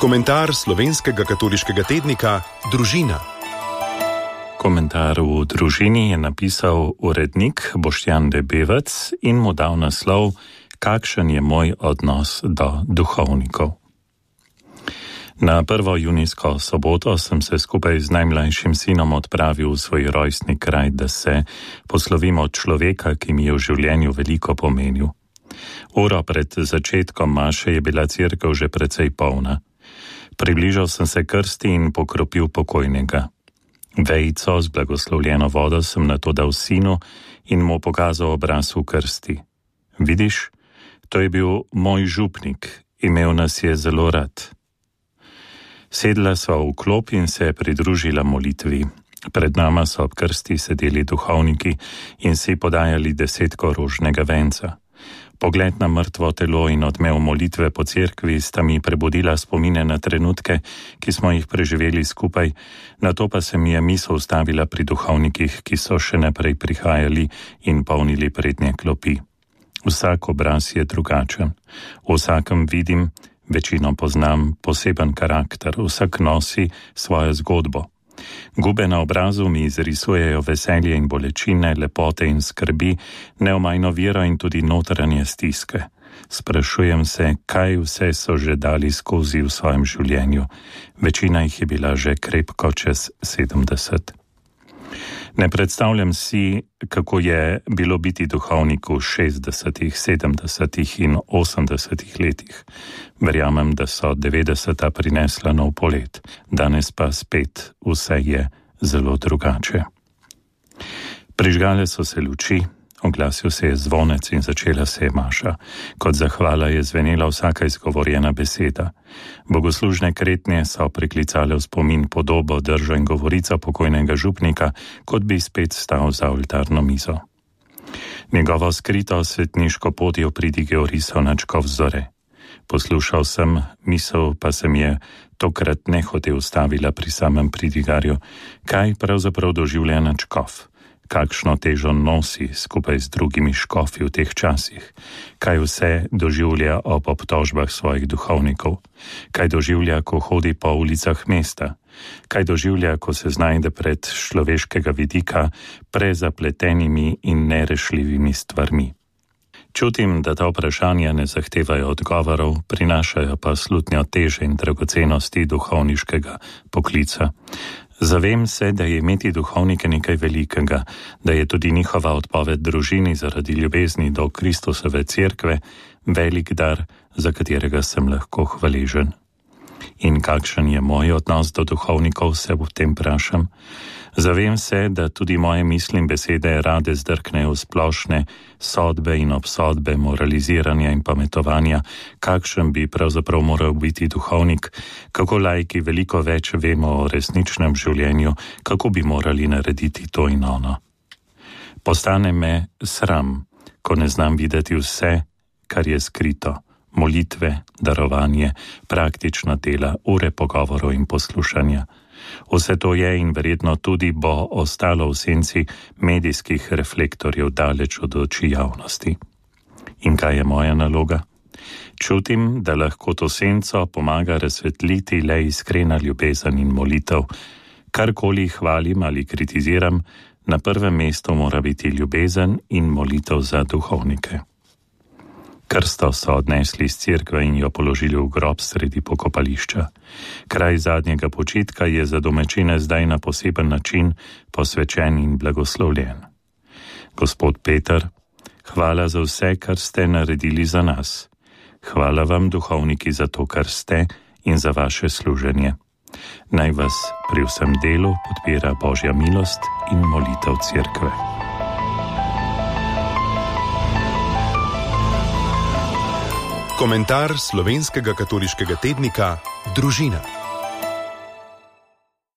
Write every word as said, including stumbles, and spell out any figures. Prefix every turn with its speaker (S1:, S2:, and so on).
S1: Komentar slovenskega katoliškega tednika Družina.
S2: Komentar v Družini je napisal urednik Boštjan Debevec in mu dal naslov Kakšen je moj odnos do duhovnikov. Na prvo junijsko soboto sem se skupaj z najmlajšim sinom odpravil v svoj rojstni kraj, da se poslovim od človeka, ki mi je v življenju veliko pomenil. Uro pred začetkom maše je bila cerkev že precej polna. Približal sem se krsti in pokropil pokojnega. Vejico z blagoslovljeno vodo sem nato dal sinu in mu pokazal obraz v krsti. Vidiš, to je bil moj župnik, imel nas je zelo rad. Sedla sva v klop in se pridružila molitvi. Pred nama so ob krsti sedeli duhovniki in si podajali desetko rožnega venca. Pogled na mrtvo telo in odmev molitve po cerkvi sta mi prebudila spomine na trenutke, ki smo jih preživeli skupaj, nato pa se mi je misel ustavila pri duhovnikih, ki so še naprej prihajali in polnili prednje klopi. Vsak obraz je drugačen. V vsakem vidim, večino poznam, poseben karakter, vsak nosi svojo zgodbo. Gube na obrazu mi izrisujejo veselje in bolečine, lepote in skrbi, neomajno vero in tudi notranje stiske. Sprašujem se, kaj vse so že dali skozi v svojem življenju. Večina jih je bila že krepko čez sedemdeset. Ne predstavljam si, kako je bilo biti duhovnik v šestdesetih, sedemdesetih in osemdesetih letih. Verjamem, da so devetdeseta prinesla nov polet, danes pa spet vse je zelo drugače. Prižgale so se luči, oglasil se je zvonec in začela se je maša. Kot zahvala je zvenela vsaka izgovorjena beseda. Bogoslužne kretnje so priklicale v spomin podobo, držo in govorico pokojnega župnika, kot bi spet stal za oltarno mizo. Njegovo skrito svetniško pot je opridigel risal načkov zore. Poslušal sem, misel pa se mi je tokrat nehote ustavila pri samem pridigarju, kaj pravzaprav doživlja načkov. Kakšno težo nosi skupaj z drugimi škofi v teh časih, kaj vse doživlja ob obtožbah svojih duhovnikov, kaj doživlja, ko hodi po ulicah mesta, kaj doživlja, ko se znajde pred človeškega vidika prezapletenimi in nerešljivimi stvarmi. Čutim, da ta vprašanja ne zahtevajo odgovorov, prinašajo pa slutnjo teže in dragocenosti duhovniškega poklica. Zavem se, da je imeti duhovnike nekaj velikega, da je tudi njihova odpoved družini zaradi ljubezni do Kristusove cerkve velik dar, za katerega sem lahko hvaležen. In kakšen je moj odnos do duhovnikov, se v tem vprašam. Zavem se, da tudi moje misli in besede rade zdrknejo v splošne sodbe in obsodbe, moraliziranja in pametovanja, kakšen bi pravzaprav moral biti duhovnik, kako laiki veliko več vemo o resničnem življenju, kako bi morali narediti to in ono. Postane me sram, ko ne znam videti vse, kar je skrito, molitve, darovanje, praktična dela, ure pogovorov in poslušanja. Vse to je in verjetno tudi bo ostalo v senci medijskih reflektorjev daleč od oči javnosti. In kaj je moja naloga? Čutim, da lahko to senco pomaga razsvetliti le iskrena ljubezen in molitev. Karkoli hvalim ali kritiziram, na prvem mestu mora biti ljubezen in molitev za duhovnike. Krsto so odnesli iz cerkve in jo položili v grob sredi pokopališča. Kraj zadnjega počitka je za domačine zdaj na poseben način posvečen in blagoslovljen. Gospod Peter, hvala za vse, kar ste naredili za nas. Hvala vam, duhovniki, za to, kar ste in za vaše služenje. Naj vas pri vsem delu podpira Božja milost in molitev cerkve.
S1: Komentar slovenskega katoliškega tednika Družina.